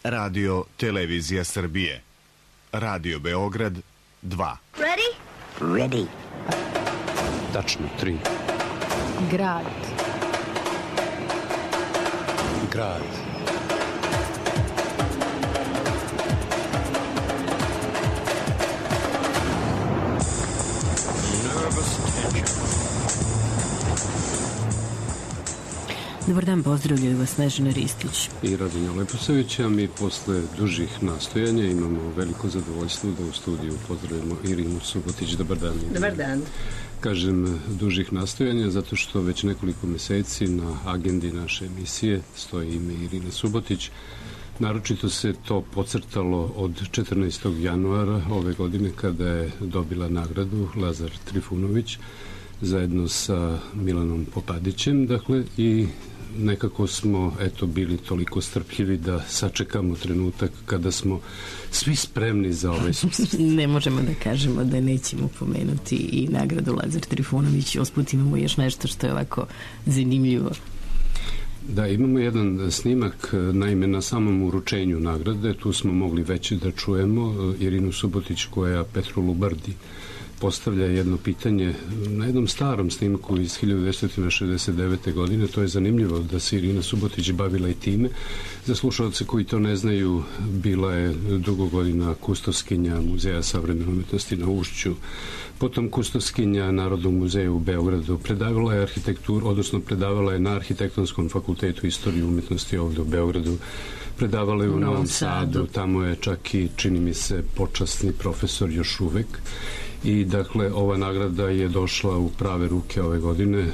Radio Televizija Srbije. Radio Beograd 2. Ready? Ready. Tačno 3. Grad. Grad. Dobar dan, pozdravljaju vas Snežana Ristić i Radonja Leposavić, a mi posle dužih nastojanja imamo veliko zadovoljstvo da u studiju pozdravimo Irinu Subotić. Dobar dan. Dobar dan. Kažem dužih nastojanja zato što već nekoliko meseci na agendi naše emisije stoji ime Irine Subotić. Naročito se to podcrtalo od 14. januara ove godine kada je dobila nagradu Lazar Trifunović zajedno sa Milanom Popadićem, dakle, i nekako smo bili toliko strpljivi da sačekamo trenutak kada smo svi spremni za ovaj susret. Ne možemo da kažemo da nećemo pomenuti i nagradu Lazar Trifunović. Usput imamo još nešto što je ovako zanimljivo. Da, imamo jedan snimak, naime na samom uručenju nagrade, tu smo mogli već da čujemo Irinu Subotić koja Petru Lubardi postavlja jedno pitanje na jednom starom snimku iz 1969. godine. To je zanimljivo da se Irina Subotić bavila i time. Za slušalce koji to ne znaju, bila je dugo godina kustoskinja Muzeja savremene umetnosti na Ušću, potom kustoskinja Narodnog muzeja u Beogradu, predavala je arhitekturu, odnosno predavala je na Arhitektonskom fakultetu istoriju umetnosti ovde u Beogradu, predavala je u Novom Sadu, tamo je čak i, čini mi se, počasni profesor još uvek. I dakle, ova nagrada je došla u prave ruke ove godine.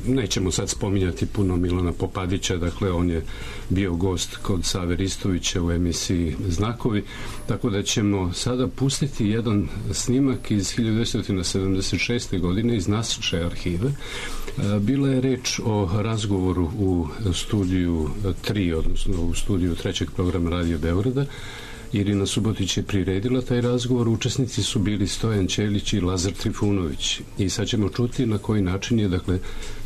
Nećemo sad spominjati puno Milana Popadića, dakle on je bio gost kod Save Ristovića u emisiji Znakovi, tako da ćemo sada pustiti jedan snimak iz 1976. godine iz naše arhive. Bila je reč o razgovoru u studiju 3, odnosno u studiju 3. programa Radio Beograda. Irina Subotić je priredila taj razgovor, učesnici su bili Stojan Ćelić i Lazar Trifunović. I sad ćemo čuti na koji način je, dakle,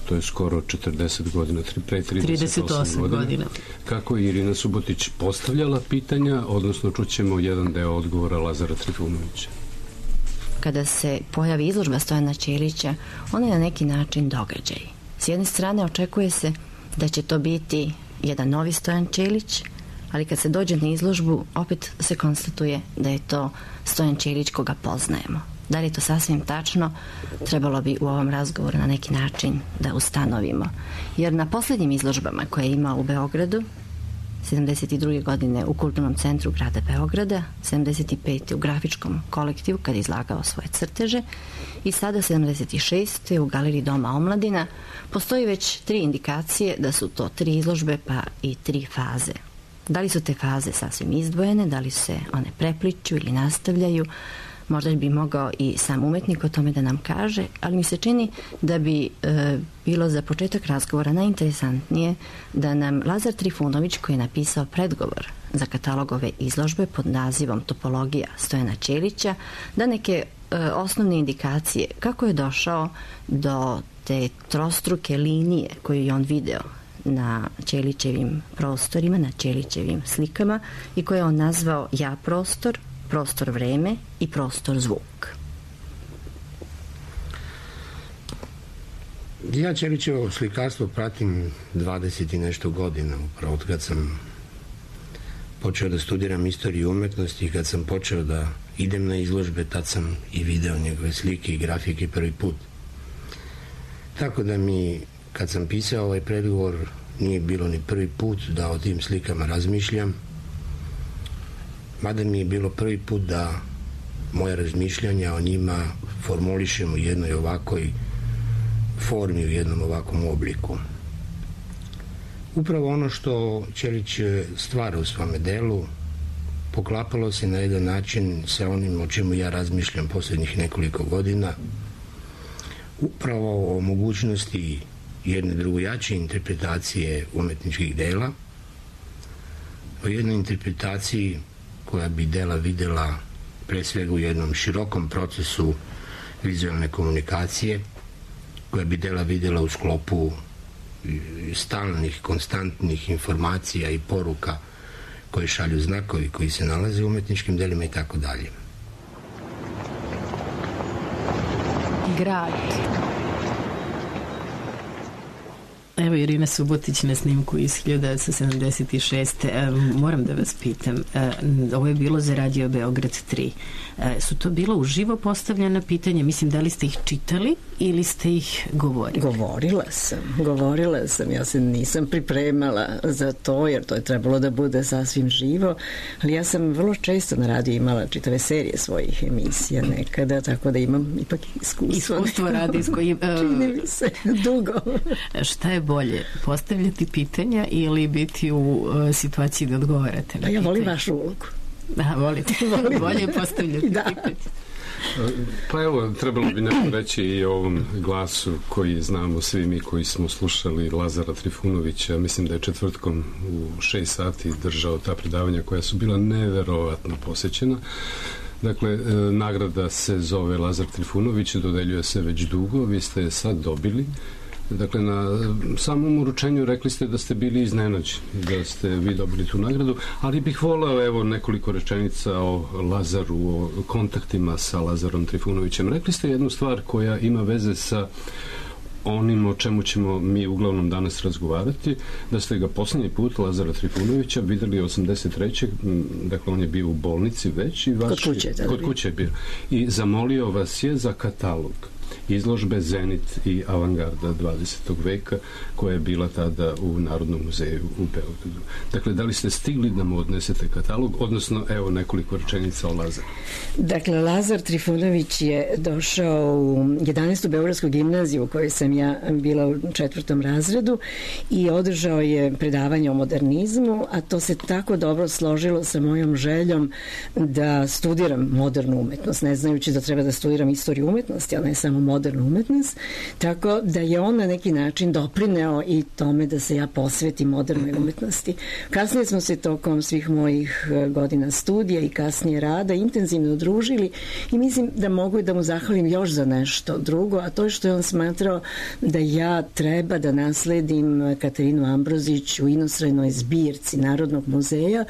to je skoro 40 godina, pre 38 godina, kako je Irina Subotić postavljala pitanja, odnosno čućemo jedan deo odgovora Lazara Trifunovića. Kada se pojavi izložba Stojana Ćelića, ona je na neki način događaj. S jedne strane očekuje se da će to biti jedan novi Stojan Ćelić, ali kad se dođe na izložbu, opet se konstatuje da je to Stojan Ćelić koga poznajemo. Da li je to sasvim tačno, trebalo bi u ovom razgovoru na neki način da ustanovimo. Jer na poslednjim izložbama koje je imao u Beogradu, 72. godine u Kulturnom centru grada Beograda, 75. u Grafičkom kolektivu kad je izlagao svoje crteže i sada 76. u Galeriji Doma omladina, postoji već 3 indikacije da su to 3 izložbe pa i 3 faze. Da li su te faze sasvim izdvojene, da li se one prepliču ili nastavljaju, možda bi mogao i sam umetnik o tome da nam kaže, ali mi se čini da bi bilo za početak razgovora najinteresantnije da nam Lazar Trifunović, koji je napisao predgovor za katalog ove izložbe pod nazivom Topologija Stojana Ćelića, da neke osnovne indikacije kako je došao do te trostruke linije koju je on video na Ćelićevim prostorima, na Ćelićevim slikama i koje je on nazvao ja prostor, prostor vreme i prostor zvuk. Ja Ćelićevo slikarstvo pratim 20 i nešto godina, upravo od kad sam počeo da studiram istoriju umetnosti i kad sam počeo da idem na izložbe, tad sam i video njegove slike i grafike prvi put. Tako da mi, kad sam pisao ovaj predgovor, nije bilo ni prvi put da o tim slikama razmišljam, mada mi je bilo prvi put da moje razmišljanja o njima formulišem u jednoj ovakoj formi, u jednom ovakvom obliku. Upravo ono što Ćelić stvara u svome delu poklapalo se na jedan način sa onim o čemu ja razmišljam posljednjih nekoliko godina, upravo o mogućnosti jedne drugojače interpretacije umetničkih dela, o jednoj interpretaciji koja bi dela videla pre svega u jednom širokom procesu vizualne komunikacije, koja bi dela videla u sklopu stalnih, konstantnih informacija i poruka koje šalju znakovi, koji se nalaze u umetničkim delima i tako dalje. Grad. Evo Irina Subotić na snimku iz 1976. Moram da vas pitam, ovo je bilo za Radio Beograd 3. Su to bilo uživo postavljena pitanja? Mislim, da li ste ih čitali ili ste ih govorili? Govorila sam. Ja se nisam pripremala za to, jer to je trebalo da bude sasvim živo, ali ja sam vrlo često na radiju imala čitave serije svojih emisija nekada, tako da imam ipak iskustvo radijsko. Čini mi se dugo. Šta je bolje, postavljati pitanja ili biti u situaciji da odgovarate na pitanje? Ja volim vašu ulogu. Volite. Bolje postavljati pitanje. Pa evo, trebalo bi nešto reći i o ovom glasu koji znamo svi mi koji smo slušali Lazara Trifunovića. Mislim da je četvrtkom u 6 sati držao ta predavanja koja su bila neverovatno posećena. Dakle, nagrada se zove Lazar Trifunović, dodeljuje se već dugo, vi ste je sad dobili. Dakle, na samom uručenju rekli ste da ste bili iznenađeni, da ste vi dobili tu nagradu, ali bih voleo, evo, nekoliko rečenica o Lazaru, o kontaktima sa Lazarom Trifunovićem. Rekli ste jednu stvar koja ima veze sa onim o čemu ćemo mi uglavnom danas razgovarati, da ste ga posljednji put, Lazara Trifunovića, videli 83. Dakle, on je bio u bolnici već i kod kuće je bio. I zamolio vas je za katalog izložbe Zenit i avangarda 20. veka koja je bila tada u Narodnom muzeju u Beogradu. Dakle, da li ste stigli da mu odnesete katalog, odnosno, evo, nekoliko rečenica o Lazaru. Dakle, Lazar Trifunović je došao u 11. Beogradsku gimnaziju u kojoj sam ja bila u 4. razredu i održao je predavanje o modernizmu, a to se tako dobro složilo sa mojom željom da studiram modernu umetnost, ne znajući da treba da studiram istoriju umetnosti, a ne samo modernu umetnost, tako da je on na neki način doprineo i tome da se ja posvetim modernoj umetnosti. Kasnije smo se tokom svih mojih godina studija i kasnije rada intenzivno družili i mislim da mogu da mu zahvalim još za nešto drugo, a to je što je on smatrao da ja treba da nasledim Katarinu Ambrozić u inostrajnoj zbirci Narodnog muzeja.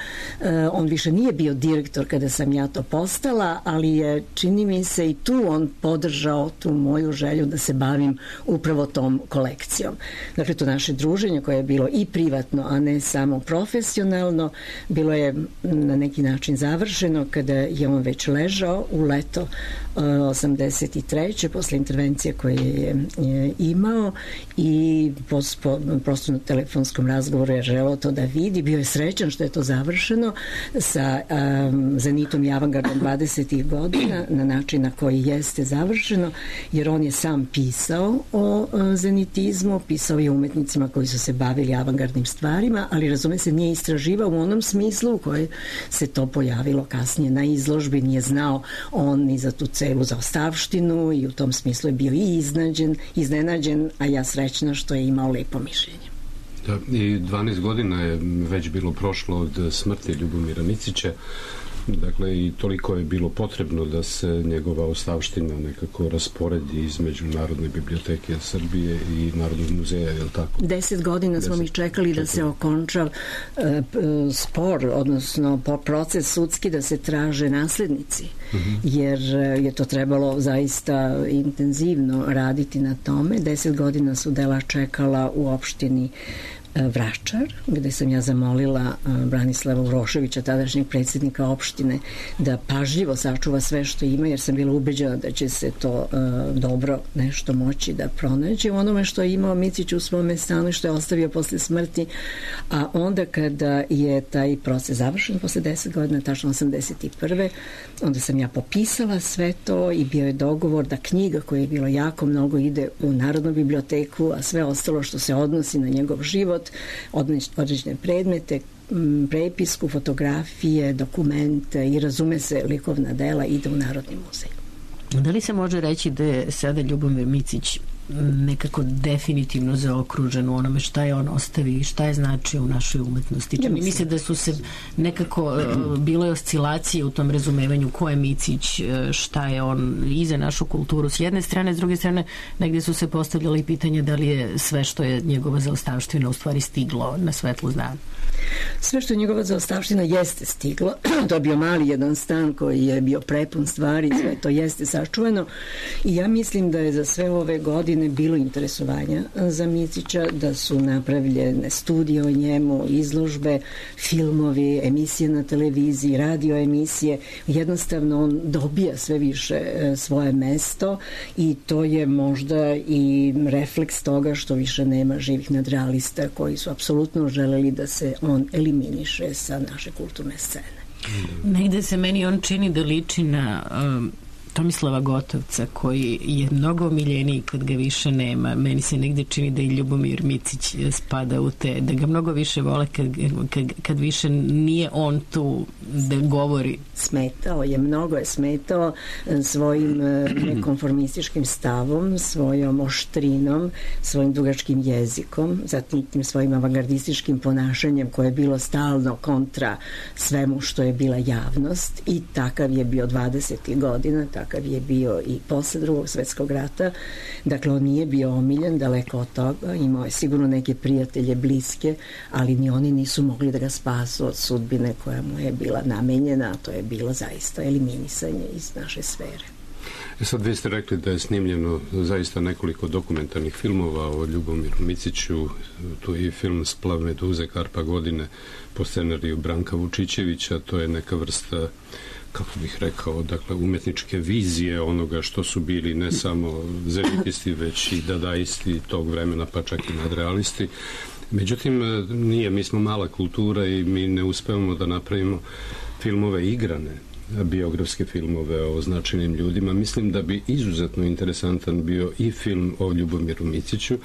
On više nije bio direktor kada sam ja to postala, ali je, čini mi se, i tu on podržao tu moju želju da se bavim upravo tom kolekcijom. Dakle, to naše druženje koje je bilo i privatno, a ne samo profesionalno, bilo je na neki način završeno kada je on već ležao u leto 83. posle intervencije koje je imao i prosto na telefonskom razgovoru je želeo to da vidi. Bio je srećan što je to završeno sa Zenitom i avangardom 20. godina na način na koji jeste završeno, jer on je sam pisao o zenitizmu, pisao je umetnicima koji su se bavili avangardnim stvarima, ali razume se nije istraživao u onom smislu u kojoj se to pojavilo kasnije na izložbi, nije znao on ni za tu celu zaostavštinu i u tom smislu je bio i iznenađen, a ja srećna što je imao lepo mišljenje. Da, i 12 godina je već bilo prošlo od smrti Ljubomira Micića. Dakle, i toliko je bilo potrebno da se njegova ostavština nekako rasporedi između Narodne biblioteke Srbije i Narodnog muzeja, je li tako? 10 godina smo mi čekali da se okonča spor, odnosno proces sudski da se traže naslednici, jer je to trebalo zaista intenzivno raditi na tome. 10 godina su dela čekala u opštini Vračar, gde sam ja zamolila Branislava Uroševića, tadašnjeg predsjednika opštine, da pažljivo sačuva sve što ima, jer sam bila ubeđena da će se to dobro nešto moći da pronađe u onome što je imao Micić u svome stanu i što je ostavio posle smrti. A onda kada je taj proces završen posle 10 godina, tačno 81. onda sam ja popisala sve to i bio je dogovor da knjiga koja je bilo jako mnogo ide u Narodnu biblioteku, a sve ostalo što se odnosi na njegov život, određene predmete, prepisku, fotografije, dokumente i razume se likovna dela ide u Narodni muzej. Da li se može reći da je sada Ljubomir Micić nekako definitivno zaokružen u onome šta je on ostavi i šta je znači u našoj umetnosti? Čini mi se da su se nekako bile oscilacije u tom razumevanju ko je Micić, šta je on i za našu kulturu s jedne strane, s druge strane negdje su se postavljali pitanja da li je sve što je njegova zaostavština u stvari stiglo na svetlu dana. Sve što njegova zaostavština jeste stiglo, to je bio mali jedan stan koji je bio prepun stvari, sve to jeste sačuvano i ja mislim da je za sve ove godine bilo interesovanja za Micića, da su napravljene studije o njemu, izložbe, filmovi, emisije na televiziji, radio emisije, jednostavno on dobija sve više svoje mesto i to je možda i refleks toga što više nema živih nadrealista koji su apsolutno želeli da se on eliminiše sa naše kulturne scene. Negde se meni on čini da liči na Tomislava Gotovca, koji je mnogo omiljeniji kad ga više nema. Meni se negde čini da i Ljubomir Micić spada u te, da ga mnogo više vole kad više nije on tu da govori. Smetao je, mnogo je smetao svojim nekonformističkim stavom, svojom oštrinom, svojim dugačkim jezikom, zatim tim svojim avangardističkim ponašanjem koje je bilo stalno kontra svemu što je bila javnost i takav je bio 20. godina, takav je bio i posle Drugog svetskog rata. Dakle, on nije bio omiljen, daleko od toga, imao je sigurno neke prijatelje bliske, ali ni oni nisu mogli da ga spasu od sudbine koja mu je bila namenjena, a to je bilo zaista eliminisanje iz naše sfere. Sad vi ste rekli da je snimljeno zaista nekoliko dokumentarnih filmova o Ljubomiru Miciću, tu je i film Splav meduze Karpa godine po scenariju Branka Vučićevića, to je neka vrsta, kako bih rekao, dakle, umetničke vizije onoga što su bili ne samo zenitisti, već i dadaisti tog vremena, pa čak i nadrealisti. Međutim, mi smo mala kultura i mi ne uspevamo da napravimo filmove igrane, biografske filmove o značajnim ljudima. Mislim da bi izuzetno interesantan bio i film o Ljubomiru Miciću.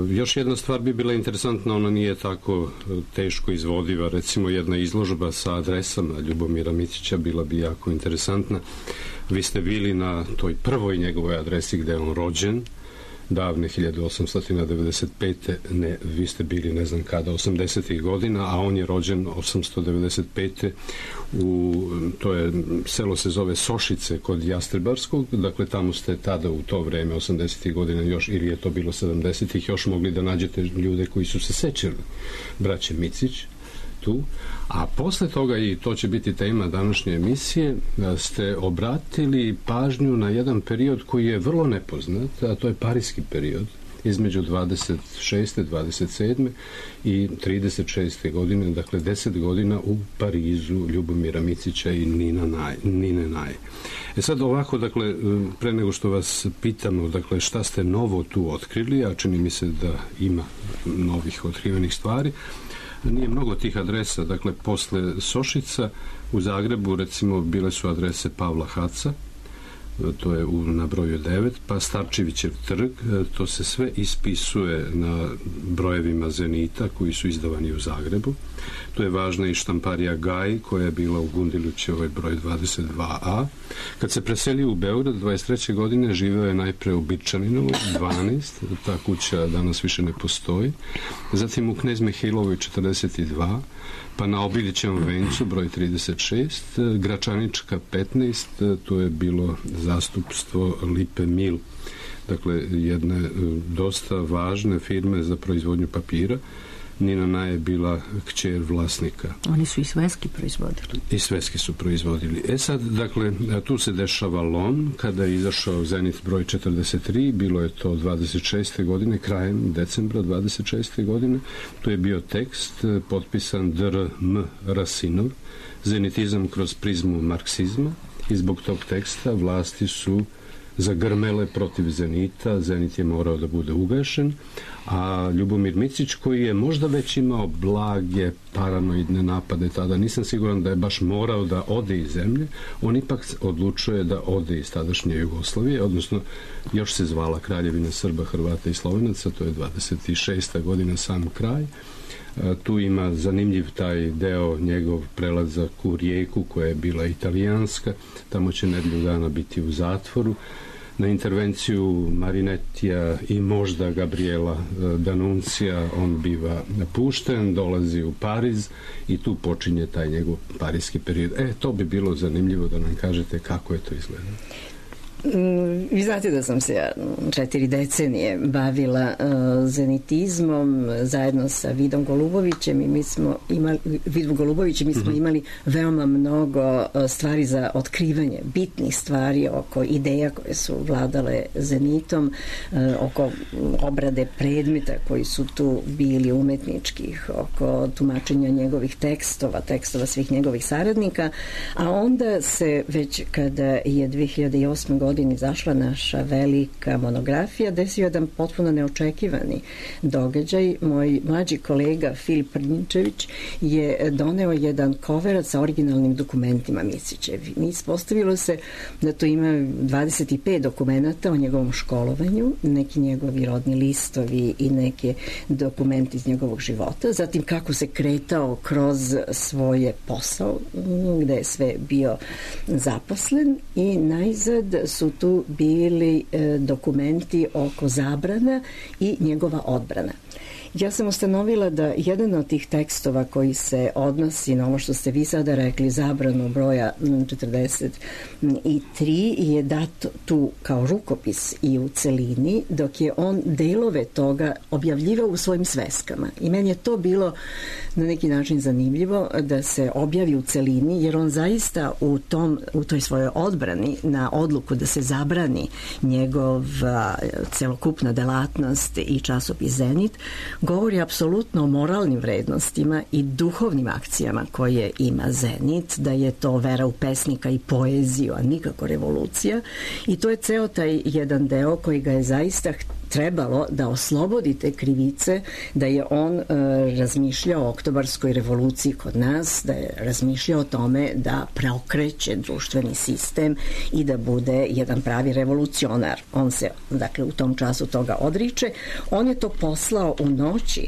Još jedna stvar bi bila interesantna, ona nije tako teško izvodiva, recimo jedna izložba sa adresama Ljubomira Micića bila bi jako interesantna. Vi ste bili na toj prvoj njegovoj adresi gde je on rođen, davne 1895. Ne, vi ste bili ne znam kada, 80. godina, a on je rođen 895. Selo se zove Sošice kod Jastrebarskog, dakle tamo ste tada u to vreme, 80. godina još, ili je to bilo 70. još mogli da nađete ljude koji su se sećali braće Micić tu, a posle toga, i to će biti tema današnje emisije, ste obratili pažnju na jedan period koji je vrlo nepoznat, a to je parijski period između 26. 27. i 36. godine, dakle 10 godina u Parizu Ljubomira Micića i Nine Naje. Sad ovako, dakle, pre nego što vas pitamo, dakle, šta ste novo tu otkrili, a čini mi se da ima novih otkrivenih stvari, nije mnogo tih adresa, dakle, posle Sošica u Zagrebu, recimo, bile su adrese Pavla Haca, to je na broju 9, pa Starčevićev trg, to se sve ispisuje na brojevima Zenita koji su izdavani u Zagrebu. Tu je važna i štamparija Gaj koja je bila u Gundilućevoj broj 22a. Kad se preselio u Beograd 23. godine, živeo je najpre u Birčaninovoj 12, ta kuća danas više ne postoji, zatim u Knez Mihailovoj 42, pa na Obilićevom vencu broj 36, Gračanička 15, to je bilo zastupstvo Lipe Mil, dakle jedne dosta važne firme za proizvodnju papira. Nina Naje je bila kćer vlasnika. Oni su i sveski proizvodili. I sveski su proizvodili. Sad, dakle, tu se dešava lom, kada je izašao Zenit broj 43, bilo je to 26. godine, krajem decembra 26. godine, tu je bio tekst potpisan Dr. M. Rasinov, zenitizam kroz prizmu marksizma, i zbog tog teksta vlasti su zagrmele protiv Zenita, Zenit je morao da bude ugašen, a Ljubomir Micić, koji je možda već imao blage paranoidne napade tada, nisam siguran da je baš morao da ode iz zemlje, on ipak odlučuje da ode iz tadašnje Jugoslavije, odnosno još se zvala Kraljevina Srba, Hrvata i Slovenaca, to je 26. godina, sam kraj. Tu ima zanimljiv taj deo, njegov prelazak u Rijeku koja je bila italijanska, tamo će nedelju dana biti u zatvoru. Na intervenciju Marinetija i možda Gabriela Danuncija on biva pušten, dolazi u Pariz i tu počinje taj njegov parijski period. To bi bilo zanimljivo da nam kažete kako je to izgledalo. Vi znate da sam se 4 decenije bavila zenitizmom zajedno sa Vidom Golubovićem i mi smo imali veoma mnogo stvari za otkrivanje, bitnih stvari oko ideja koje su vladale zenitom, oko obrade predmeta koji su tu bili umetničkih, oko tumačenja njegovih tekstova svih njegovih saradnika, a onda se već kada je 2008. godine izašla naša velika monografija, desio jedan potpuno neočekivani događaj. Moj mlađi kolega Filip Prnjčević je doneo jedan koverac sa originalnim dokumentima Micićevi. Ispostavilo se da tu ima 25 dokumenata o njegovom školovanju, neki njegovi rodni listovi i neke dokumenti iz njegovog života, zatim kako se kretao kroz svoje posao, gde je sve bio zaposlen, i najzad su tu bili dokumenti oko zabrana i njegova odbrana. Ja sam ustanovila da jedan od tih tekstova koji se odnosi na ovo što ste vi sada rekli, zabranu broja 43, je dat tu kao rukopis i u celini, dok je on delove toga objavljivao u svojim sveskama. I meni je to bilo na neki način zanimljivo da se objavi u celini, jer on zaista u toj svojoj odbrani na odluku da se zabrani njegova celokupna delatnost i časopis Zenit govori apsolutno o moralnim vrednostima i duhovnim akcijama koje ima Zenit, da je to vera u pesnika i poeziju, a nikako revolucija, i to je ceo taj jedan deo koji ga je zaista trebalo da oslobodi te krivice, da je on razmišljao o oktobarskoj revoluciji kod nas, da je razmišljao o tome da preokreće društveni sistem i da bude jedan pravi revolucionar. On se, dakle, u tom času toga odriče. On je to poslao u noći.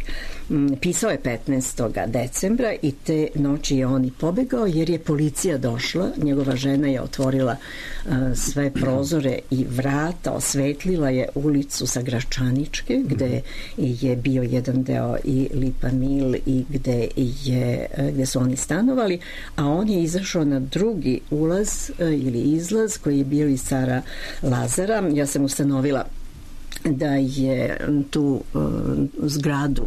Pisao je 15. decembra i te noći je on i pobegao, jer je policija došla. Njegova žena je otvorila sve prozore i vrata, osvetlila je ulicu sa Gračaničke, gde je bio jedan deo i Lipa Mil i gde su oni stanovali, a on je izašao na drugi ulaz ili izlaz koji je bio iz Cara Lazara. Ja sam ustanovila da je tu zgradu,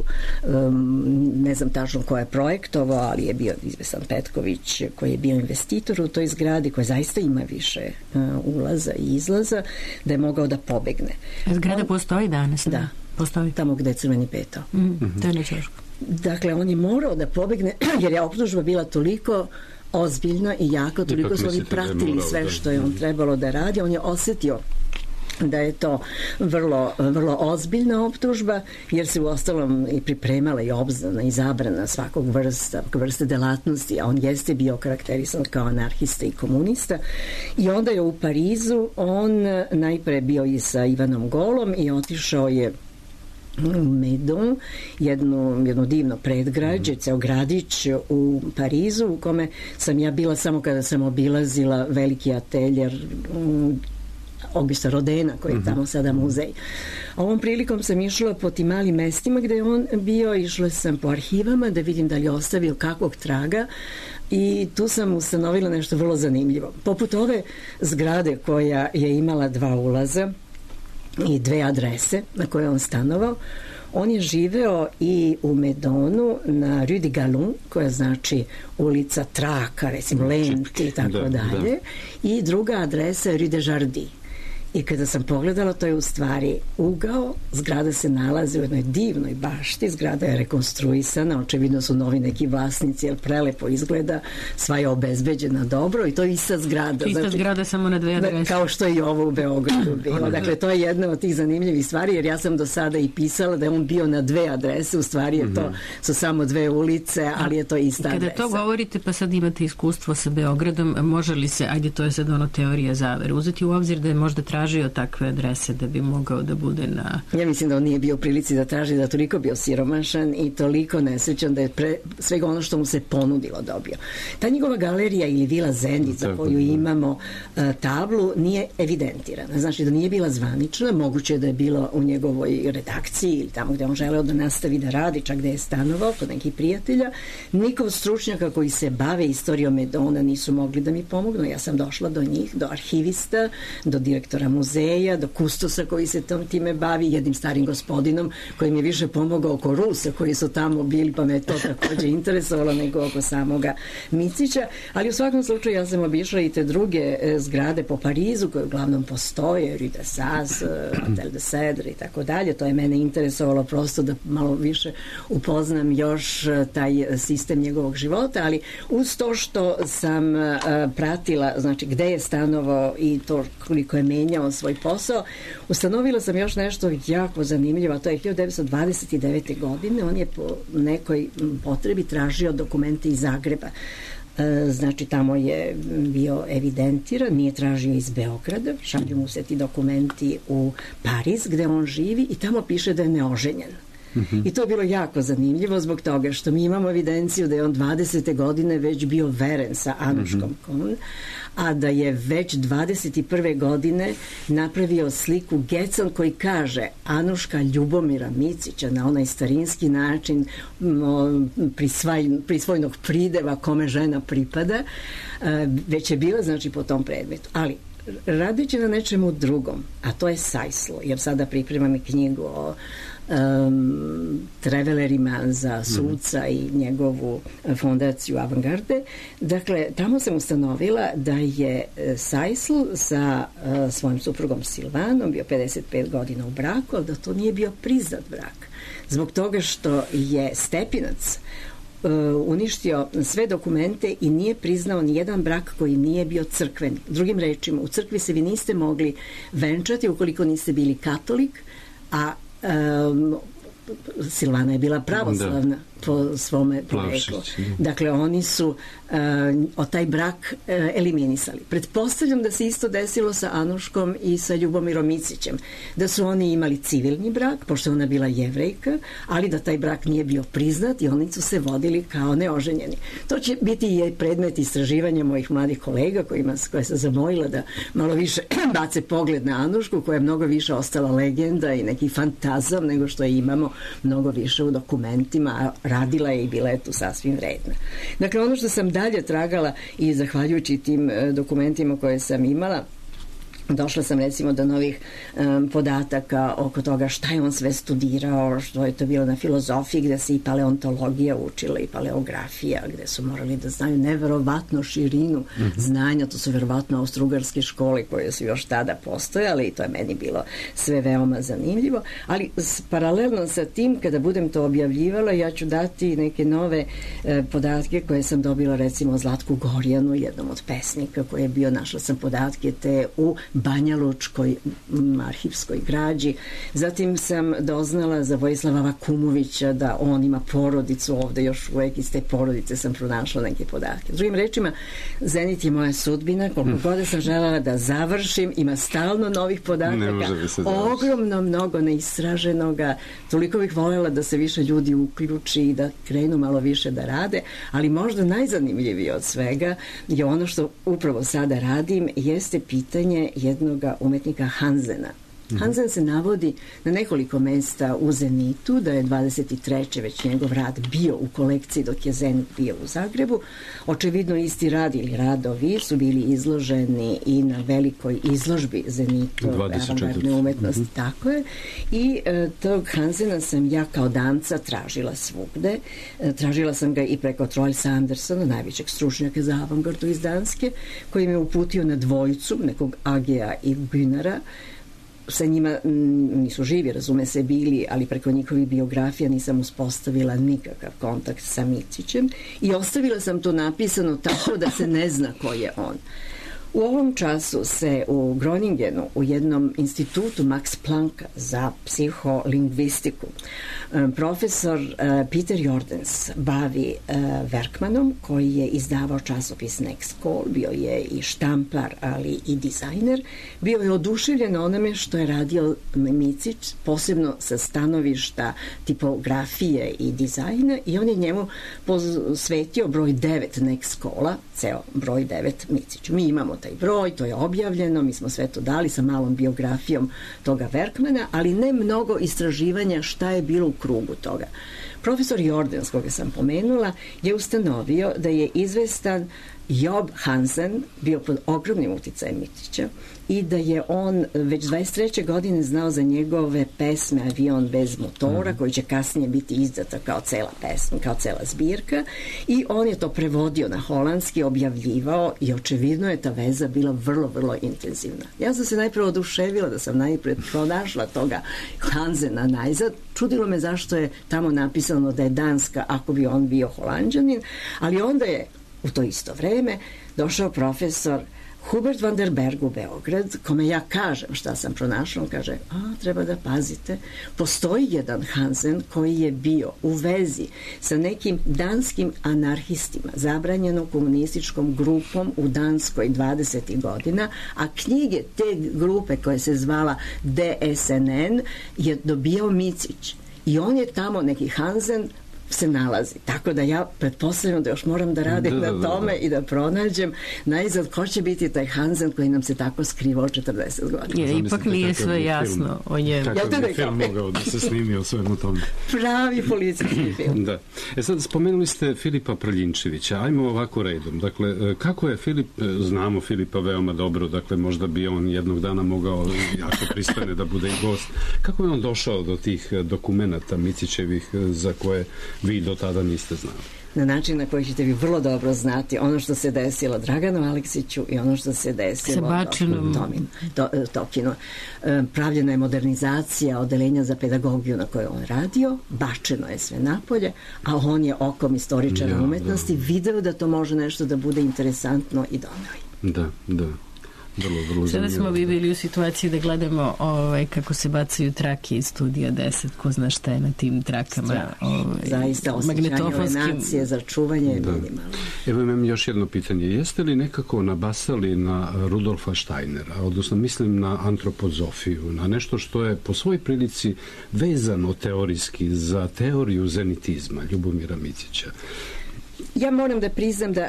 ne znam tačno ko je projektovao, ali je bio izvesan Petković koji je bio investitor u toj zgradi, koja zaista ima više ulaza i izlaza, da je mogao da pobegne. Zgrada postoji danas? Da, postoji tamo gde je Crveni petao. To je nečeško. Dakle, on je morao da pobegne jer je optužba bila toliko ozbiljna i jaka, toliko su oni pratili sve što je on trebalo da radi. On je osetio da je to vrlo, vrlo ozbiljna optužba, jer se u ostalom i pripremala i obznana i zabrana svakog vrste delatnosti, a on jeste bio karakterisan kao anarhista i komunista. I onda je u Parizu on najpre bio i sa Ivanom Golom i otišao je Meudon, jedno divno predgrađe, ceo gradić u Parizu, u kome sam ja bila samo kada sam obilazila veliki ateljer Augusta Rodena, koji je tamo sada muzej. Ovom prilikom sam išla po tim malim mestima gde je on bio, išla sam po arhivama da vidim da li je ostavio kakvog traga, i tu sam ustanovila nešto vrlo zanimljivo. Poput ove zgrade koja je imala 2 ulaza i 2 adrese na koje on stanovao, on je živeo i u Meudonu na Rue de Galon, koja znači ulica traka, recimo lenti i tako dalje, i druga adresa je Rue de Jardy. I kada sam pogledala, to je u stvari ugao, zgrada se nalazi u jednoj divnoj bašti, zgrada je rekonstruisana, očevidno su novi neki vlasnici, jer prelepo izgleda, sva je obezbeđena dobro, i to je ista zgrada. Ista zgrada, samo na 2 adrese. Kao što je i ovo u Beogradu bilo. Dakle, to je jedna od tih zanimljivih stvari, jer ja sam do sada i pisala da je on bio na 2 adrese, u stvari je to su samo 2 ulice, ali je to ista adresa. Kada to govorite, pa sad imate iskustvo sa Beogradom, može li se, ajde, to je sad ono teorija zavere, uzeti u obzir da je možda tražio takve adrese da bi mogao da bude na... Ja mislim da on nije bio u prilici da traži, da toliko bio siromašan i toliko nesrećan da je svega ono što mu se ponudilo dobio. Ta njegova galerija ili vila Zenic za koju imamo tablu nije evidentirana. Znači da nije bila zvanična, moguće da je bila u njegovoj redakciji ili tamo gde on želeo da nastavi da radi, čak gde je stanovao kod nekih prijatelja. Niko od stručnjaka koji se bave istorijom Medona nisu mogli da mi pomognu. Ja sam došla do njih, do arhivista, do direktora muzeja, do kustosa koji se time bavi, jednim starim gospodinom koji mi je više pomogao oko Rusa koji su tamo bili, pa me to takođe interesovalo nego oko samoga Micića, ali u svakom slučaju ja sam obišla i te druge zgrade po Parizu koje uglavnom postoje, Rue de Sas, Hotel de Cedre i tako dalje. To je mene interesovalo prosto da malo više upoznam još taj sistem njegovog života, ali uz to što sam pratila, znači gde je stanovao i to koliko je menjao svoj posao, ustanovila sam još nešto jako zanimljivo, a to je 1929. godine. On je po nekoj potrebi tražio dokumente iz Zagreba. Znači tamo je bio evidentiran, nije tražio iz Beograda, šalju mu se ti dokumenti u Pariz gde on živi i tamo piše da je neoženjen. I to je bilo jako zanimljivo zbog toga što mi imamo evidenciju da je on 20. godine već bio veren sa Anuškom Kohn, a da je već 21. godine napravio sliku Gecan koji kaže Anuška Ljubomira Micića na onaj starinski način prisvojnog prideva kome žena pripada, već je bila znači po tom predmetu. Ali radeći na nečemu drugom, a to je Sajslo, jer sada pripremam i knjigu o travelerima za suca i njegovu fondaciju Avantgarde. Dakle, tamo sam ustanovila da je Sajsl sa svojim suprugom Silvanom bio 55 godina u braku, ali da to nije bio priznat brak. Zbog toga što je Stepinac uništio sve dokumente i nije priznao ni jedan brak koji nije bio crkveni. Drugim rečima, u crkvi se vi niste mogli venčati ukoliko niste bili katolik, a Silvana je bila pravoslavna po svome poreklu. Dakle, oni su taj brak eliminisali. Pretpostavljam da se isto desilo sa Anuškom i sa Ljubomirom Micićem. Da su oni imali civilni brak, pošto ona bila Jevrejka, ali da taj brak nije bio priznat i oni su se vodili kao neoženjeni. To će biti i predmet istraživanja mojih mladih kolega koje sam zamolila da malo više bace pogled na Anušku, koja je mnogo više ostala legenda i neki fantazam nego što je imamo mnogo više u dokumentima, a radila je i bila je tu sasvim vredna. Dakle, ono što sam dalje tragala i zahvaljujući tim dokumentima koje sam imala, došla sam recimo do novih podataka oko toga šta je on sve studirao, što je to bilo na filozofiji gde se i paleontologija učila i paleografija, gde su morali da znaju neverovatno širinu znanja, to su verovatno austrougarske škole koje su još tada postojale i to je meni bilo sve veoma zanimljivo, ali paralelno sa tim kada budem to objavljivala ja ću dati neke nove podatke koje sam dobila recimo o Zlatku Gorjanu, jednom od pesnika koji je bio, našla sam podatke te u Banjalučkoj arhivskoj građi. Zatim sam doznala za Vojislava Vakumovića da on ima porodicu ovde, još uvek iz te porodice sam pronašla neke podatke. Drugim rečima, Zenit je moja sudbina, koliko god sam želela da završim, ima stalno novih podataka, ogromno mnogo neistraženoga, toliko bih voljela da se više ljudi uključi i da krenu malo više da rade, ali možda najzanimljivije od svega je ono što upravo sada radim, jeste pitanje jednog umetnika Hansena. Hansen se navodi na nekoliko mesta u Zenitu, da je 23. već njegov rad bio u kolekciji dok je Zenit bio u Zagrebu. Očevidno isti rad ili radovi su bili izloženi i na velikoj izložbi Zenitove avangardne umetnosti. Tako je. I tog Hansena sam ja kao danca tražila svugde. Tražila sam ga i preko Troels Andersona, najvećeg stručnjaka za avangardu iz Danske, koji me uputio na dvojicu, nekog Agea i Günara. Sa njima nisu živi, razume se, bili, ali preko njihovih biografija nisam uspostavila nikakav kontakt sa Micićem i ostavila sam to napisano tako da se ne zna ko je on. U ovom času se u Groningenu, u jednom institutu Max Plancka za psiholingvistiku, profesor Peter Jordens bavi Werkmanom, koji je izdavao časopis Next Call, bio je i štampar, ali i dizajner. Bio je oduševljen onome što je radio Micić, posebno sa stanovišta tipografije i dizajna, i on je njemu posvetio broj 9 Next Calla, ceo broj 9 Miciću. Mi imamo taj broj, to je objavljeno, mi smo sve to dali sa malom biografijom toga Werkmana, ali ne mnogo istraživanja šta je bilo u krugu toga. Profesor Jordens, koga sam pomenula, je ustanovio da je izvestan Job Hansen bio pod ogromnim uticajem Micića i da je on već 23. godine znao za njegove pesme Avion bez motora, koji će kasnije biti izdata kao cela pesma, kao cela zbirka, i on je to prevodio na holandski, objavljivao, i očevidno je ta veza bila vrlo, vrlo intenzivna. Ja sam se najprve oduševila da sam najpred pronašla toga Hansena najzad. Čudilo me zašto je tamo napisano da je Danska ako bi on bio Holanđanin, ali onda je u to isto vreme došao profesor Hubert van der Berg u Beograd, kome ja kažem šta sam pronašla. On kaže, treba da pazite, postoji jedan Hansen koji je bio u vezi sa nekim danskim anarhistima, zabranjenom komunističkom grupom u Danskoj 20. godina, a knjige te grupe koje se zvala DSNN je dobio Micić. I on je tamo, neki Hansen se nalazi. Tako da ja pretpostavljam da još moram da radim na tome i da pronađem najzad ko će biti taj Hansen koji nam se tako skrivao 40 godina. Jer ipak nije sve jasno o njemu. Kako bi film mogao da se snimi o svemu tome? Pravi policijski film. Da. Sad, spomenuli ste Filipa Prljinčevića. Ajmo ovako redom. Dakle, kako je Filip, znamo Filipa veoma dobro, dakle, možda bi on jednog dana mogao jako pristojne da bude i gost. Kako je on došao do tih dokumenata Micićevih za koje vi do tada niste znali? Na način na koji ćete vi vrlo dobro znati ono što se desilo Draganu Aleksiću i ono što se desilo Tokinu. Pravljena je modernizacija odeljenja za pedagogiju na kojoj on radio, bačeno je sve napolje, a on je okom istoričara umetnosti video da to može nešto da bude interesantno i doneo. Da. Sada smo bili u situaciji da gledamo kako se bacaju trake iz Studija 10, ko zna šta je na tim trakama. Zaista osjećanje ove nacije za čuvanje je minimalno. Evo imam još jedno pitanje. Jeste li nekako nabasali na Rudolfa Steinera, odnosno mislim na antropozofiju, na nešto što je po svojoj prilici vezano teorijski za teoriju zenitizma Ljubomira Micića? Ja moram da priznam da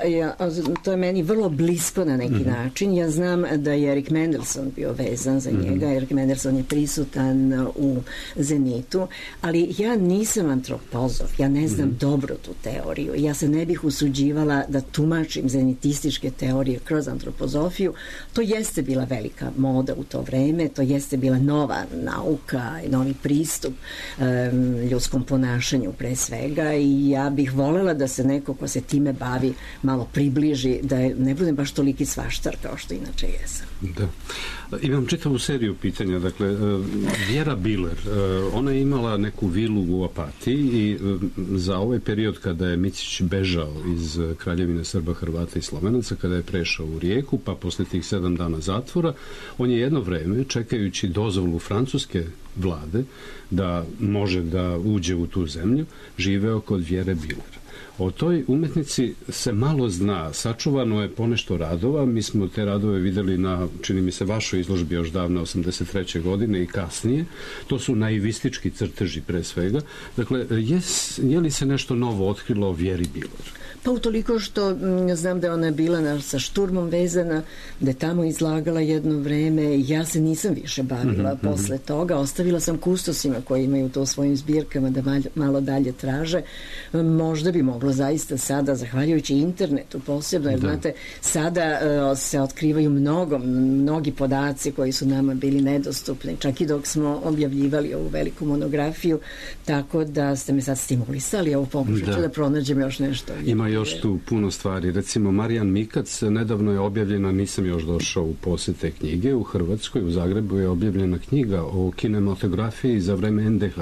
to je meni vrlo blisko na neki način. Ja znam da je Erik Mendelson bio vezan za njega. Erik Mendelson je prisutan u Zenitu, ali ja nisam antropozof, ja ne znam dobro tu teoriju. Ja se ne bih usuđivala da tumačim zenitističke teorije kroz antropozofiju. To jeste bila velika moda u to vreme, to jeste bila nova nauka i novi pristup ljudskom ponašanju pre svega, i ja bih volela da se neko ko se time bavi malo približi, da ne budem baš toliki svaštar kao što inače jesam. Da. Imam čitavu seriju pitanja. Dakle, Vjera Biler, ona je imala neku vilu u Opatiji i za ovaj period kada je Micić bežao iz Kraljevine Srba, Hrvata i Slovenaca, kada je prešao u Rijeku, pa posle tih 7 dana zatvora, on je jedno vreme, čekajući dozvolu francuske vlade da može da uđe u tu zemlju, živeo kod Vjere Biler. O toj umetnici se malo zna, sačuvano je ponešto radova, mi smo te radove videli na, čini mi se, vašoj izložbi još davne 83. godine i kasnije, to su naivistički crteži pre svega. Dakle, je li se nešto novo otkrilo o Vjeri Biler? Pa utoliko što znam da je ona bila sa Šturmom vezana, da je tamo izlagala jedno vreme. Ja se nisam više bavila posle toga. Ostavila sam kustosima koji imaju to u svojim zbirkama da malo dalje traže. Možda bi moglo zaista sada, zahvaljujući internetu posebno, jer znate, sada se otkrivaju mnogi podaci koji su nama bili nedostupni, čak i dok smo objavljivali ovu veliku monografiju, tako da ste me sad stimulisali, evo pokušat ću da pronađem još nešto. Ima još tu puno stvari. Recimo, Marijan Mikac, nedavno je objavljena, nisam još došao u posjed te knjige, u Hrvatskoj, u Zagrebu je objavljena knjiga o kinematografiji za vreme NDH.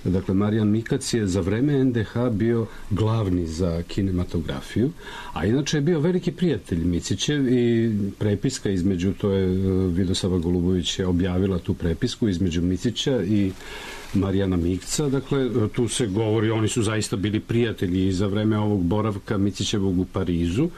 Dakle, Marijan Mikac je za vreme NDH bio glavni za kinematografiju, a inače je bio veliki prijatelj Micićev i prepiska između, to je Vidosava Golubović je objavila tu prepisku između Micića i Marijana Mikca, dakle, tu se govori, oni su zaista bili prijatelji i za vreme ovog boravka Micićevog u Parizu.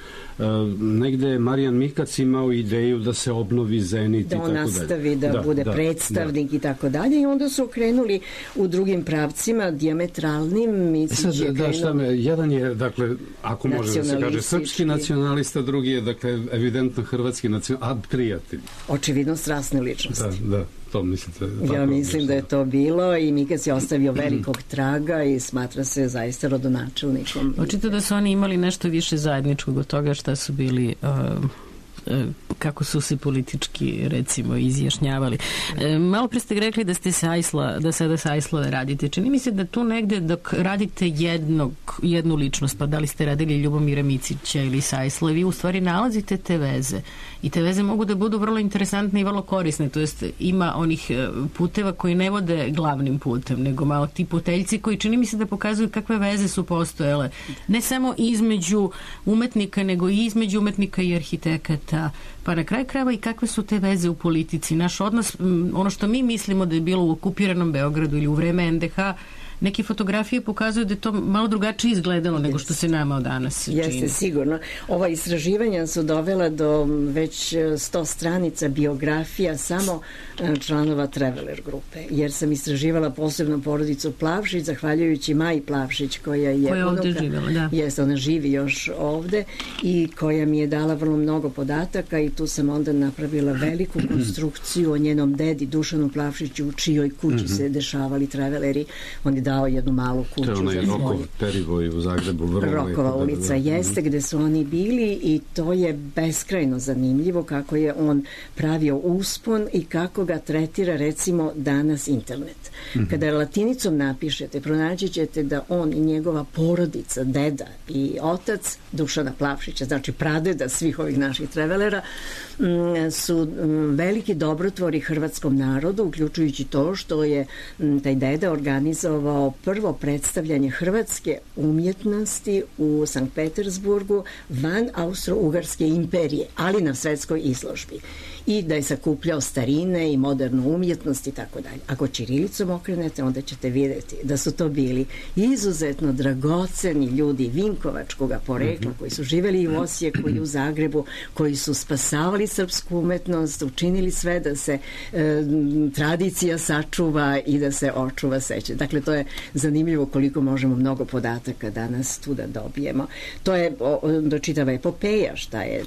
Negde je Marijan Mikac imao ideju da se obnovi Zenit i tako dalje. Da on nastavi da bude predstavnik i tako dalje i onda su krenuli u drugim pravcima, dijametralnim. Micić je krenuo... Jedan je, dakle, ako može da se kaže srpski nacionalista, drugi je, dakle, evidentno hrvatski nacionalista, a prijatelj. Očividno strasne ličnosti. Da. To mislite, ja mislim da je to bilo i Mikac je ostavio velikog traga i smatra se zaista rodonačelnikom. Očito da su oni imali nešto više zajedničkog od toga šta su bili kako su se politički recimo izjašnjavali. Malo pre ste rekli da ste da sada sa Ajslove radite. Čini mi se da tu negde dok radite jednu ličnost, pa da li ste radili Ljubomira Micića ili sa Ajslove, vi u stvari nalazite te veze i te veze mogu da budu vrlo interesantne i vrlo korisne, to jest ima onih puteva koji ne vode glavnim putem, nego malo ti puteljci koji čini mi se da pokazuju kakve veze su postojale, ne samo između umetnika, nego i između umetnika i arhitekata, pa na kraju krajeva i kakve su te veze u politici. Naš odnos, ono što mi mislimo da je bilo u okupiranom Beogradu ili u vreme NDH, neke fotografije pokazuju da je to malo drugačije izgledalo nego što se nama danas čini. Jeste, sigurno. Ova istraživanja su dovela do već 100 stranica biografija samo članova Traveler grupe, jer sam istraživala posebno porodicu Plavšić, zahvaljujući Maji Plavšić, koja je ovde živjela, da. Jeste, ona živi još ovde i koja mi je dala vrlo mnogo podataka i tu sam onda napravila veliku konstrukciju o njenom dedi Dušanu Plavšiću, u čijoj kući se dešavali Traveleri. On je dao jednu malu kuću. To je onaj Rokov Perivoj u Zagrebu. Rokova ulica jeste gde su oni bili i to je beskrajno zanimljivo kako je on pravio uspon i kako ga tretira recimo danas internet. Kada latinicom napišete, pronaći ćete da on i njegova porodica, deda i otac Dušana Plavšića, znači pradeda svih ovih naših travelera, su veliki dobrotvori hrvatskom narodu, uključujući to što je taj deda organizovao prvo predstavljanje hrvatske umjetnosti u Sankt Petersburgu van Austro-Ugarske imperije, ali na svetskoj izložbi. I da je sakupljao starine i modernu umjetnost i tako dalje. Ako ćirilicom okrenete, onda ćete vidjeti da su to bili izuzetno dragoceni ljudi vinkovačkog porekla koji su živeli i u Osijeku i u Zagrebu, koji su spasavali srpsku umetnost, učinili sve da se tradicija sačuva i da se očuva sećanje. Dakle, to je zanimljivo koliko možemo mnogo podataka danas tu da dobijemo. To je čitava epopeja šta je